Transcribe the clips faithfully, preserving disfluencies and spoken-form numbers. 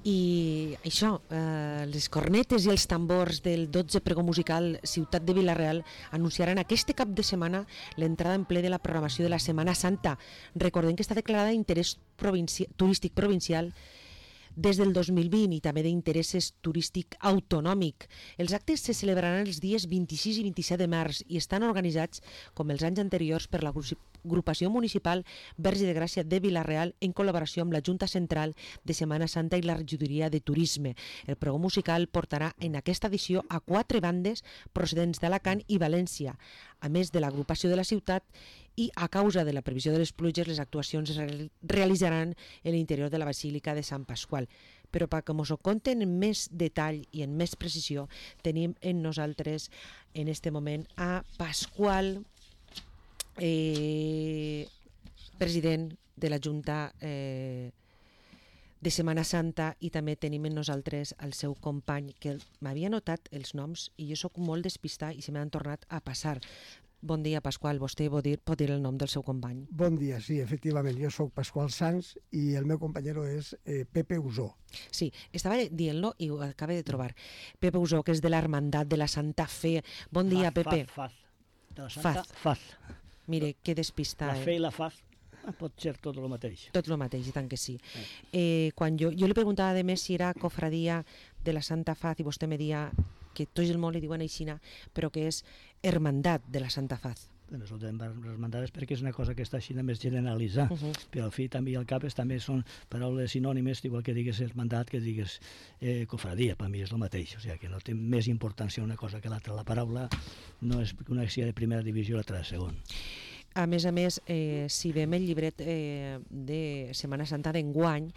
I això, eh, les cornetes i els tambors del dotze pregó musical Ciutat de Vila-real anunciaran aquest cap de setmana l'entrada en ple de la programació de la Setmana Santa. Recordem que està declarada d'interès provinci- turístic provincial des del dos mil vint i també d'interès turístic autonòmic. Els actes se celebraran els dies vint-i-sis i vint-i-set de març i estan organitzats, com els anys anteriors, per l'agrupació municipal Verge de Gràcia de Vila-real en col·laboració amb la Junta Central de Setmana Santa i la Regidoria de Turisme. El pregó musical portarà en aquesta edició a quatre bandes procedents d'Alacant i València, a més de l'agrupació de la ciutat, i a causa de la previsió de les pluges les actuacions es realitzaran en l'interior de la Basílica de Sant Pasqual. Però perquè mos ho conten en més detall i en més precisió, tenim en nosaltres en este moment a Pasqual, eh, president de la Junta eh, de Setmana Santa, i també tenim en nosaltres el seu company, que m'havia notat els noms i jo sóc molt despistat i se m'han tornat a passar. Bon dia, Pasqual. Vostè pot dir, pot dir el nom del seu company? Bon dia, sí, efectivament. Jo sóc Pasqual Sanz i el meu companyero és eh, Pepe Usó. Sí, estava dient-lo i ho acabo de trobar. Pepe Usó, que és de l'Hermandat de la Santa Fe. Bon dia, faz, Pepe. Faz, faz. De la Santa, Faz. faz. Mire, que despistat. La fe i la faz pot ser tot el mateix. Tot el mateix, i tant que sí. Eh, quan jo, jo li preguntava de més si era cofradia de la Santa Faz i vostè me dia que tots el món li diuen aixina, però que és hermandat de la Santa Faz. Bueno, això de hermandades perquè és una cosa que està així més generalitzar, uh -huh. però al fi també i al cap també són paraules sinònimes, igual que digues hermandat que digues eh, cofradia, per mi és el mateix, o sigui que no té més importància una cosa que l'altra. La paraula no és una que sigui de primera divisió i l'altra de segon. A més a més, eh, si veiem el llibret eh, de Setmana Santa d'enguany,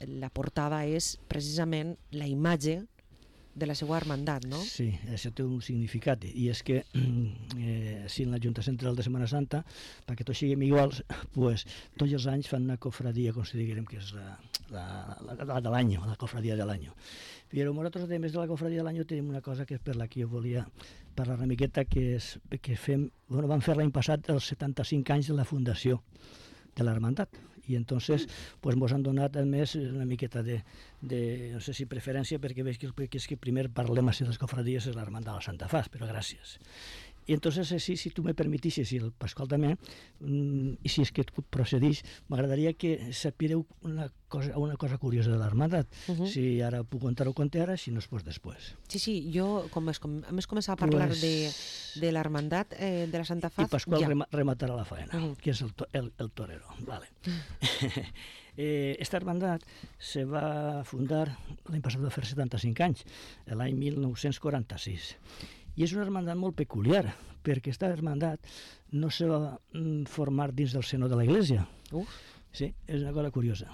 la portada és precisament la imatge de la seva hermandat, no? Sí, això té un significat, i és que eh, si en la Junta Central de Setmana Santa, perquè tots siguem iguals, pues, tots els anys fan una cofradia, com si diguem que és la, la, la, la de l'any, la cofradia de l'any. Però nosaltres, a més de la cofradia de l'any, tenim una cosa que és per la que jo volia parlar una miqueta, que és que fem, bueno, vam fer l'any passat els setanta-cinc anys de la fundació de l'hermandat, i entonces pues mos han donat a més una miqueta de, de no sé si preferència, perquè veig que, que és que primer parlem a les cofradies és l'hermandat de la Santa Faz, però gràcies. I entonces, si, si tu me permetissis, i el Pasqual també, mm, i si és que procedís, m'agradaria que sapireu una cosa, una cosa curiosa de l'hermandat. Uh -huh. Si ara puc contar-ho, conté ara, si no es pot després. Sí, sí, jo, com es, com, a més començar a parlar pues, de, de l'hermandat eh, de la Santa Faz, i Pasqual ja. rem, rematarà la faena, uh -huh. que és el, to, el, el torero. Vale. eh, esta hermandat se va fundar, l'any passat va fer setanta-cinc anys, l'any mil nou-cents quaranta-sis. I és una hermandat molt peculiar, perquè aquesta hermandat no se va formar dins del seno de la Iglesia. Uf. Sí, és una cosa curiosa.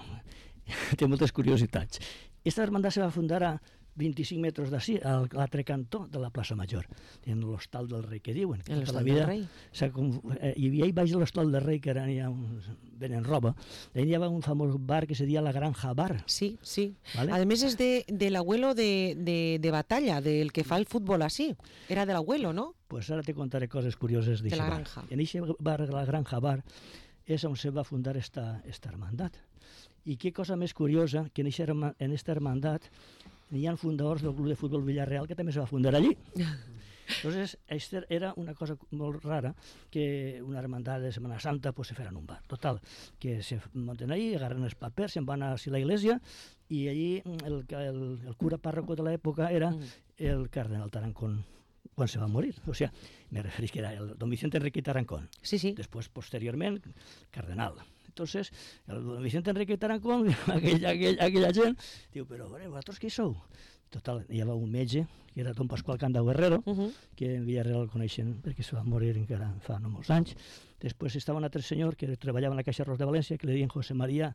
Té moltes curiositats. Aquesta hermandat se va fundar a vint-i-cinc metres d'ací, a l'altre cantó de la plaça Major, en l'Hostal del Rei, que diuen. En l'Hostal del Rei? Eh, hi havia baix de l'Hostal del Rei, que ara hi ha un, venen roba, allà hi havia un famós bar que se deia la Granja Bar. Sí, sí. ¿Vale? A més és de, de l'abuelo de, de, de Batalla, del que fa el futbol així. Era de l'abuelo, no? Pues ara te contaré coses curioses de la bar. granja. En aquest bar, la Granja Bar, és on se va fundar esta, esta hermandat. I què cosa més curiosa, que en aquesta hermandat hi ha fundadors del Club de Futbol Villarreal que també se va fundar allí. Entonces, aquesta era una cosa molt rara, que una hermandat de Setmana Santa pues, se farà en un bar. Total, que se monten allí, agarren els papers, se'n van a la iglesia, i allí el, el, el cura párroco de l'època era el cardenal Tarancón, quan se va morir. O sea, me referís que era el don Vicente Enrique Tarancón. Sí, sí. Después, posteriorment, cardenal. Entonces, el don Vicente Enrique Tarancón, aquell, aquell, aquella gent, diu, però, vosaltres qui sou? Total, hi havia un metge, que era don Pasqual Candau Guerrero, uh -huh. que en Villarreal el coneixen perquè se va morir encara fa no molts anys. Després estava un altre senyor que treballava en la Caixa Ros de València, que li deien José María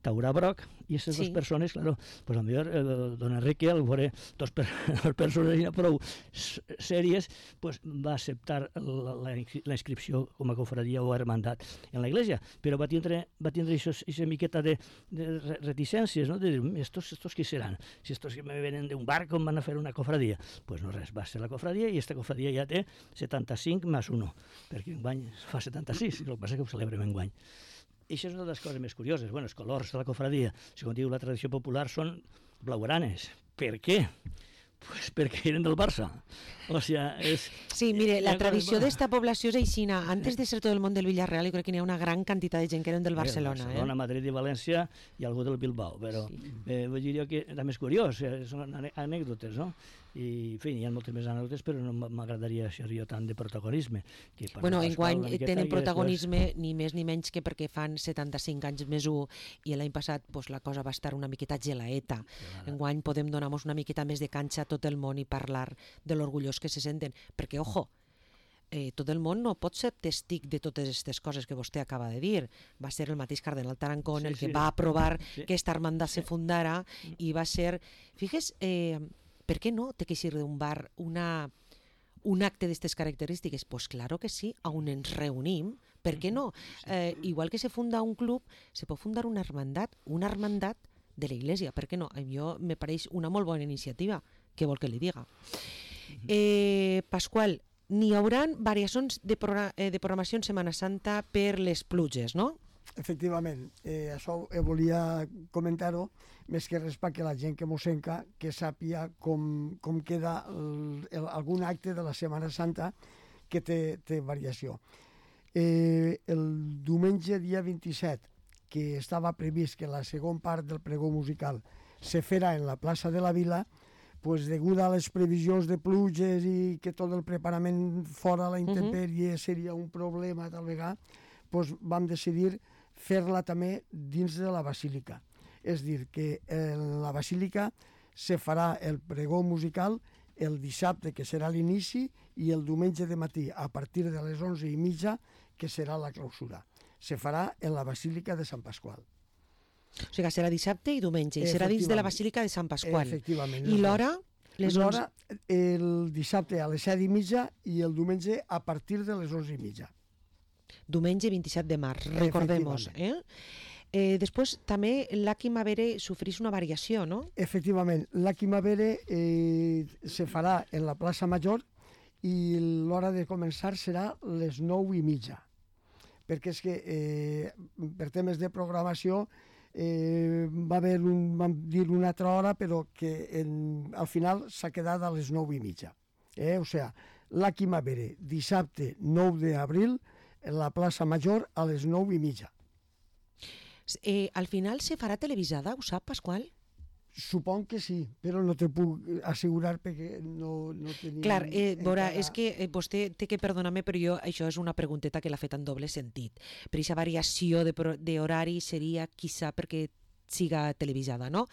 Taurà Broc, i aquestes sí. dues persones, claro, pues a millor eh, don Enrique, al veure dos, per, dos persones prou sèries, pues va acceptar la, la, la inscripció com a cofradia o hermandat en la iglesia, però va tindre, va tindre aquesta miqueta de, de reticències, no? De dir, estos, estos qui seran? Si estos que me venen d'un bar, com van a fer una cofradia? Pues no res, va ser la cofradia, i esta cofradia ja té setanta-cinc més un, perquè enguany fa setanta-sis, el que passa és que ho celebrem enguany. I això és una de les coses més curioses. Bueno, els colors de la cofradia, segons diu la tradició popular, són blaugranes. Per què? Pues perquè eren del Barça. O sea, és... Sí, mire, la tradició d'esta població és aixina. Antes de ser tot el món del Villarreal, jo crec que n'hi ha una gran quantitat de gent que eren del Barcelona. Barcelona, eh? Madrid i València i algú del Bilbao, però sí. eh, vull dir que també és curiós, eh, són anècdotes, no? I, en fi, hi ha moltes més anècdotes, però no m'agradaria ser jo tant de protagonisme. Que bueno, enguany tenen protagonisme després... ni més ni menys que perquè fan setanta-cinc anys més un i l'any passat pues, la cosa va estar una miqueta gelaeta. Enguany podem donar-nos una miqueta més de canxa a tot el món i parlar de l'orgullós que se senten, perquè, ojo, eh, tot el món no pot ser testic de totes aquestes coses que vostè acaba de dir. Va ser el mateix cardenal Tarancón sí, el que sí. va aprovar sí. que esta hermandad sí. se fundara i va ser... Figues, eh, per què no té que ser d'un bar una, un acte d'aquestes característiques? Pues claro que sí, on ens reunim, per què no? Eh, igual que se funda un club, se pot fundar una hermandat, una hermandat de la Iglesia, per què no? A mi me pareix una molt bona iniciativa, què vol que li diga. Eh, Pasqual, n'hi haurà variacions de, progr eh, de programació en Setmana Santa per les pluges, no? Efectivament, eh, això eh, volia comentar-ho, més que res perquè la gent que mos senca que sàpia com, com queda el, el, algun acte de la Setmana Santa que té, té variació. Eh, el diumenge dia vint-i-set, que estava previst que la segona part del pregó musical se fera en la plaça de la Vila, pues, degut a les previsions de pluges i que tot el preparament fora a la intempèrie uh-huh. seria un problema tal vegada, pues, vam decidir fer-la també dins de la basílica. És dir, que en la basílica se farà el pregó musical el dissabte, que serà l'inici, i el diumenge de matí, a partir de les onze i mitja, que serà la clausura. Se farà en la basílica de Sant Pasqual. O sigui, serà dissabte i diumenge, i serà dins de la basílica de Sant Pasqual. Efectivament. I l'hora? L'hora, el dissabte a les set i mitja i el diumenge a partir de les onze i mitja. Diumenge vint-i-set de març, recordem-nos. Eh? Eh, després també l'Aki Mavere sofrís una variació, no? Efectivament, l'Aki Mavere eh, se farà en la plaça Major i l'hora de començar serà les nou i mitja. Perquè és que eh, per temes de programació eh, va haver un, vam dir una altra hora, però que en, al final s'ha quedat a les nou i mitja. Eh? O sigui, l'Aki Mavere, dissabte nou d'abril, en la plaça Major a les nou i mitja. Eh, al final se farà televisada, ho sap, Pasqual? Supon que sí, però no te puc assegurar perquè no, no tenim... Clar, eh, veurà, encara... és que eh, vostè té que perdonar-me, però jo, això és una pregunteta que l'ha fet en doble sentit. Per aquesta variació d'horari seria, quizà, perquè siga televisada, no?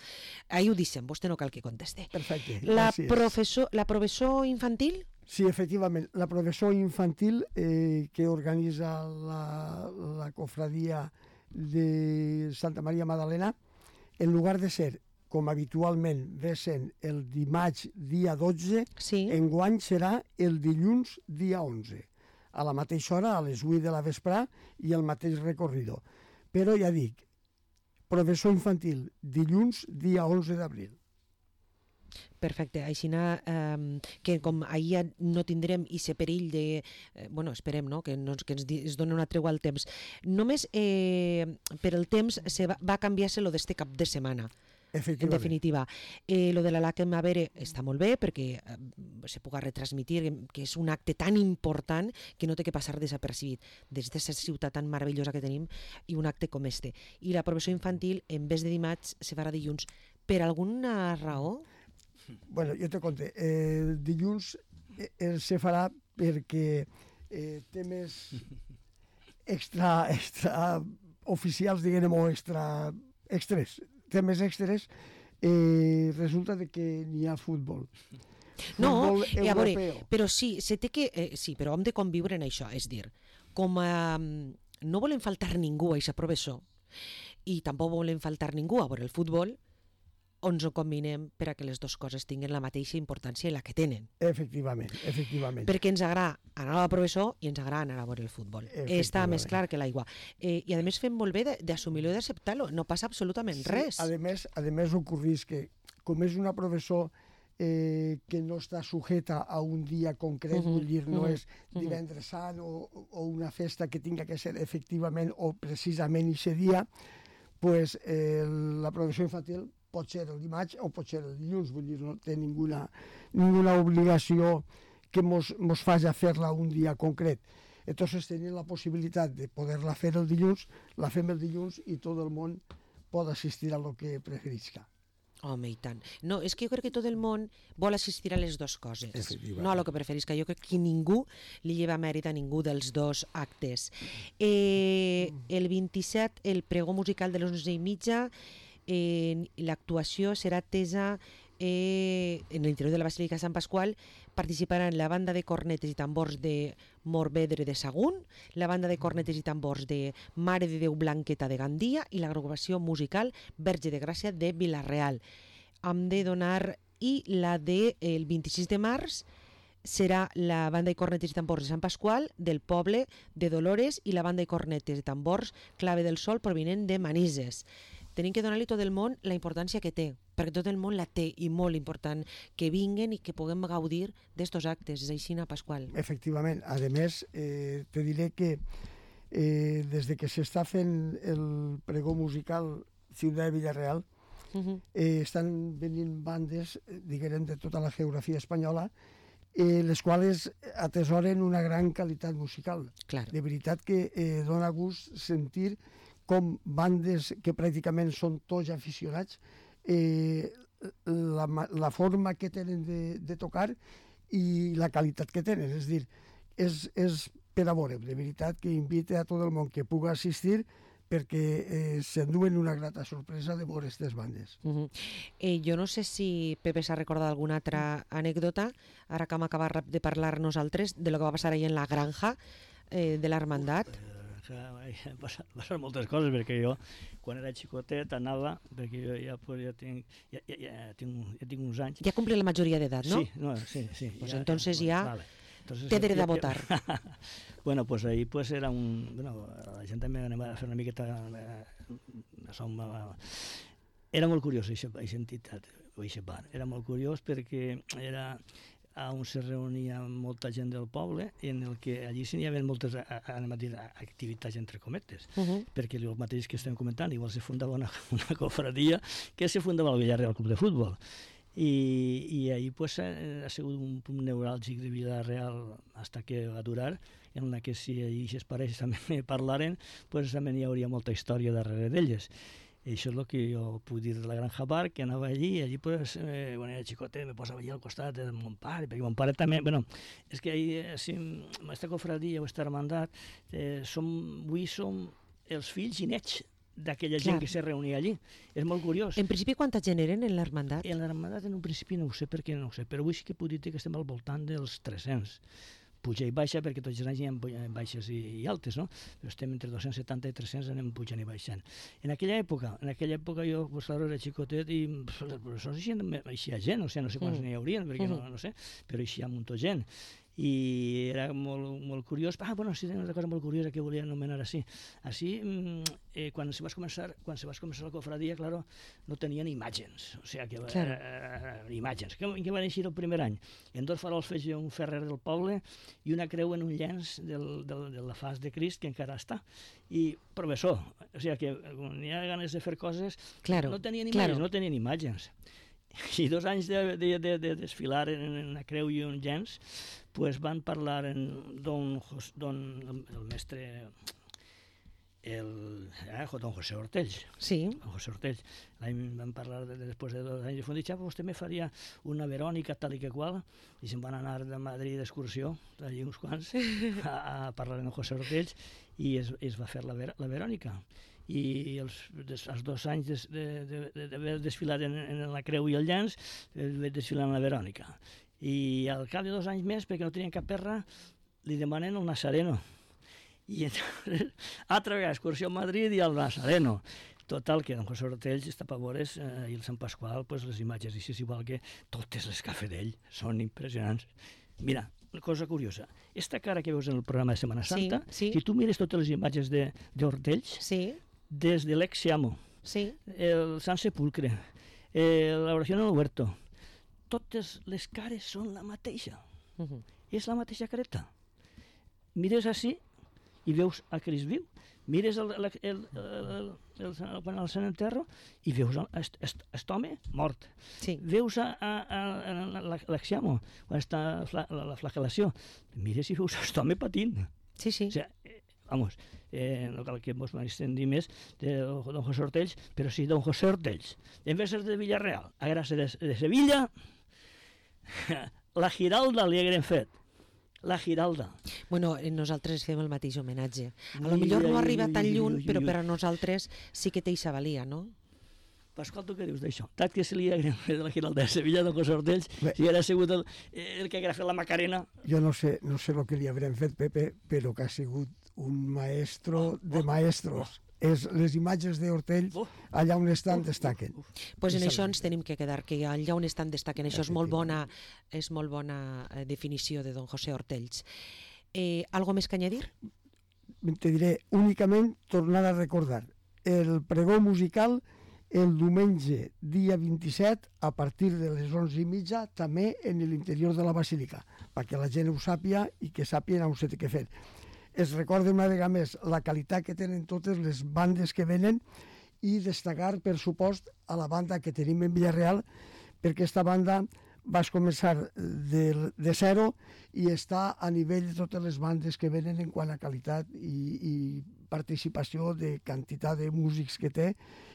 Ahí ho deixem, vostè no cal que conteste. Perfecte, la gràcies. Professor, la professor infantil? Sí, efectivament, la professor infantil eh, que organitza la, la cofradia de Santa Maria Magdalena, en lugar de ser, com habitualment ve sent el dimarts dia dotze, sí. enguany serà el dilluns dia onze, a la mateixa hora, a les vuit de la vesprà, i el mateix recorrido. Però ja dic, professor infantil, dilluns dia onze d'abril. Perfecte, així eh, que com ahir no tindrem aquest perill de, eh, bueno, esperem, no?, que, no, que ens, es doni una tregua al temps. Només eh, per el temps se va, va canviar-se lo d'este cap de setmana. En definitiva, eh, lo de la Laque Mavere està molt bé perquè eh, se puga retransmitir, que és un acte tan important que no té que passar desapercibit des d'aquesta ciutat tan meravellosa que tenim i un acte com este. I la professor infantil, en vez de dimarts, se farà dilluns. Per alguna raó? Bueno, jo te conté. Eh, dilluns eh, se farà perquè eh, temes extra, extra oficials, diguem, o extra extres, temes extres, eh, resulta de que n'hi ha futbol. No, futbol a veure, però sí, se té que, eh, sí, però hem de conviure en això, és dir, com a, no volem faltar ningú a aquest professor i tampoc volem faltar ningú a veure el futbol, on ens ho combinem per a que les dues coses tinguin la mateixa importància i la que tenen. Efectivament, efectivament. Perquè ens agrada anar al professor i ens agrada anar a veure el futbol. Està més clar que l'aigua. Eh, I a més fem molt bé d'assumir-lo i d'acceptar-lo. No passa absolutament sí, res. A més, a més ocorrís que, com és una professor eh, que no està sujeta a un dia concret, uh -huh, vull dir, no uh -huh, és divendres sant o, o una festa que tinga que ser efectivament o precisament aquest dia, pues, eh, la programació infantil pot ser el dimarts o pot ser el dilluns, vull dir, no té ninguna, ninguna obligació que mos, mos faci fer-la un dia concret. Entonces tenint la possibilitat de poder-la fer el dilluns, la fem el dilluns i tot el món pot assistir a lo que preferisca. Home, i tant. No, és que jo crec que tot el món vol assistir a les dues coses, no a lo que preferisca. Jo crec que ningú li lleva mèrit a ningú dels dos actes. Eh, el vint-i-set, el pregó musical de les onze i mitja, eh, l'actuació serà atesa eh, en l'interior de la Basílica de Sant Pasqual. Participaran la banda de cornetes i tambors de Morvedre de Sagunt, la banda de cornetes i tambors de Mare de Déu Blanqueta de Gandia i l'agrupació musical Verge de Gràcia de Vila-real. Hem de donar... I la del de, vint-i-sis de març serà la banda de cornetes i tambors de Sant Pasqual, del poble de Dolores, i la banda de cornetes i tambors Clave del Sol provinent de Manises. Tenim que donar-li tot el món la importància que té, perquè tot el món la té i molt important, que vinguen i que puguem gaudir d'estos actes. És així, Pasqual? Efectivament. A més, eh, te diré que eh, des de que s'està fent el pregó musical Ciutat de Vila-real, uh -huh. eh, estan venint bandes, diguem, de tota la geografia espanyola, eh, les quals atesoren una gran qualitat musical. Clar. De veritat que eh, dona gust sentir com bandes que pràcticament són tots aficionats, eh, la, la forma que tenen de, de tocar i la qualitat que tenen. És dir, és, és per a veure, de veritat que invite a tot el món que pugui assistir perquè eh, s'enduen una grata sorpresa de veure aquestes bandes. Uh -huh. eh, jo no sé si Pepe s'ha recordat alguna altra anècdota, ara que hem acabat de parlar nosaltres, de lo que va passar ahir en la granja eh, de l'Hermandat. Han passat, passat moltes coses, perquè jo, quan era xicotet, anava, perquè jo ja, pues, ja, tinc, ja, ja, ja, tinc, ja tinc uns anys. Ja compli la majoria d'edat, no? Sí, no, sí, sí. Pues ja, entonces ja, vale. Entonces, té dret ja, a votar. Ja, bueno, pues ahí pues era un... Bueno, la gent també anem a fer una miqueta... Eh, som, eh, era molt curiós, aquesta entitat, aquesta bar. Era molt curiós perquè era... on se reunia molta gent del poble, en el que allí s'hi havia moltes anem a dir, activitats entre cometes, uh -huh. perquè el mateix que estem comentant, igual se fundava una, una cofradia que se fundava el Villarreal Club de Futbol. I, i ahir pues, ha, ha sigut un punt neuràlgic de Vila-real hasta que va durar, en la que si aquestes parelles també parlaren, pues, també hi hauria molta història darrere d'elles. I això és el que jo puc dir de la Granja Bar, que anava allí, i allí, pues, eh, quan era xicotet, me posava allà al costat de mon pare, perquè mon pare també... Bueno, és que ahir, si, aquesta cofradia o aquesta hermandat, eh, som, avui som els fills i nets d'aquella gent que se reunia allí. És molt curiós. En principi, quanta gent eren en l'hermandat? En l'hermandat, en un principi, no ho sé perquè no ho sé, però avui sí que puc dir que estem al voltant dels tres-cents. Puja i baixa, perquè tots els anys hi ha baixes i, i altes, no? Però estem entre dos-cents setanta i tres-cents, anem pujant i baixant. En aquella època, en aquella època jo, pues, claro, era xicotet i els professors eixia gent, o sigui, no sé quants mm. n'hi haurien, perquè mm. no, no sé, però eixia un munt de gent. I era molt, molt curiós. Ah, bueno, sí, una cosa molt curiosa que volia anomenar així. Així, eh, quan se va començar, quan se va començar la cofradia, claro, no tenien imatges, o sigui, que claro. eh, imatges. Què, què van eixir el primer any? En dos farols feia un ferrer del poble i una creu en un llenç del, del, de la faç de Crist, que encara està. I professor, o sigui, que quan hi ha ganes de fer coses, claro, no tenien imatges, claro. no tenien imatges. I dos anys de, de, de, de desfilar en una creu i un llenç, pues van parlar en don, don el, el mestre, el, eh, don José Ortells. Sí. Don José Ortells. L'any van parlar de, després de dos anys. I van dir, xapa, vostè me faria una Verònica tal i que qual. I se'n van anar de Madrid d'excursió, allí uns quants, a, a parlar amb José Ortells, i es, es va fer la, Ver, la Verònica. I els, des, els dos anys d'haver de, de, de desfilat en, en la Creu i el Llenç, vaig desfilar en la Verònica. I al cap de dos anys més, perquè no tenien cap perra, li demanen el Nazareno. I entonces, altra vegada, excursió a Madrid i al Nazareno. Total, que don José Ortells està a veure eh, i el Sant Pasqual, pues, les imatges, i és igual que totes les que ha fet ell, són impressionants. Mira, una cosa curiosa, esta cara que veus en el programa de Setmana Santa, sí, sí. si tu mires totes les imatges d'Ortells, sí. des de l'ex Siamo, sí. el Sant Sepulcre, eh, l'oració en el huerto, totes les cares són la mateixa. Uh -huh. És la mateixa careta. Mires així i veus a Crist viu, mires el, el, el, el, el, quan el Sant Enterro i veus aquest home mort. Sí. Veus a, a, a, a l'Axiamo, quan està la, la, la flagel·lació, mires i veus aquest home patint. Sí, sí. O sea, eh, vamos, eh, no cal que ens m'estendi més de don José Ortells, però sí, don José Ortells, en vez de ser de Villarreal, a gràcia de, de Sevilla, la Giralda li haguem fet. La Giralda. Bueno, nosaltres fem el mateix homenatge. A lo millor no arriba tan lluny, però per a nosaltres sí que té eixa valia, no? Pasqual, tu què dius d'això? Tant que se li haguem fet de la Giralda de Sevilla, don José Ortells, si haguera sigut el, el que haguera fet la Macarena... Jo no sé, no sé el que li haurem fet, Pepe, però que ha sigut un maestro de maestros. És, les imatges d'Hortell, allà on estan, destaquen. Doncs pues en això ens tenim que quedar, que allà on estan destaquen. Això és molt bona, és molt bona definició de don José Ortells. Eh, ¿Algo més que añadir? Te diré, únicament tornar a recordar el pregó musical el diumenge, dia vint-i-set, a partir de les onze i mitja, també en l'interior de la Basílica, perquè la gent ho sàpia i que sàpien on s'ha de fer. Es recorda una vegada més la qualitat que tenen totes les bandes que venen i destacar, per supost, a la banda que tenim en Villarreal, perquè aquesta banda va començar de, de zero i està a nivell de totes les bandes que venen en quant a qualitat i, i participació de quantitat de músics que té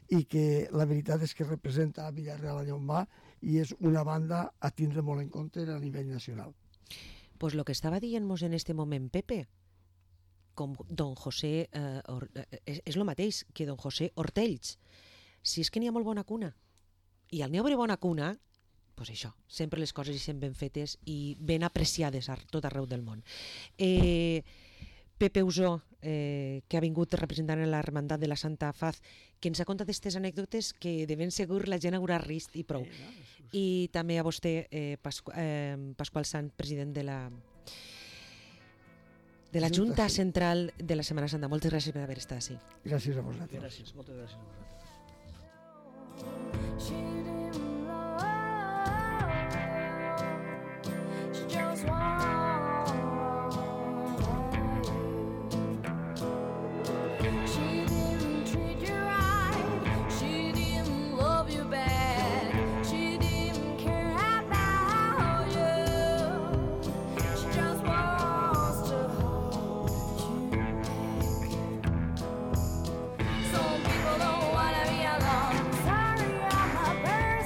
i que la veritat és que representa a Villarreal allà on va i és una banda a tindre molt en compte a nivell nacional. Pues lo que estava dient-nos en este moment Pepe, com don José, eh, Or, eh, és, és el mateix que don José Ortells. Si és que n'hi ha molt bona cuna, i al n'hi haurà bona cuna, pues això, sempre les coses hi sent ben fetes i ben apreciades a tot arreu del món. Eh, Pepe Usó, eh, que ha vingut representant la Hermandat de la Santa Faz, que ens ha contat aquestes anècdotes que de ben segur la gent haurà rist i prou. I també a vostè, eh, Pasqu eh, Pasqual Sant, president de la de la Junta Central de la Setmana Santa. Moltes gràcies per haver estat així. Gràcies a vosaltres. Gràcies, moltes gràcies a vosaltres.